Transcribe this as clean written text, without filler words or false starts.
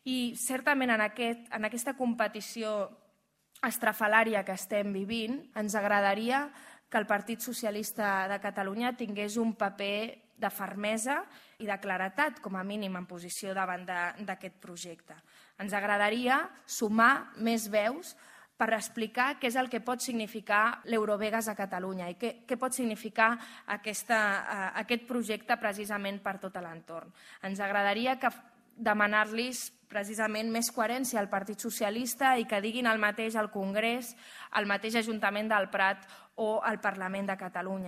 I certament en aquesta competició estrafalària que estem vivint, ens agradaria que el Partit Socialista de Catalunya tingués un paper de fermesa i de claretat, com a mínim, en posició davant d'aquest projecte. Ens agradaria sumar més veus per explicar què és el que pot significar l'Eurovegas a Catalunya i què pot significar aquest projecte precisament per tot l'entorn. Ens agradaria demanar-los precisament més coherència al Partit Socialista i que diguin el mateix al Congrés, al mateix Ajuntament del Prat o al Parlament de Catalunya.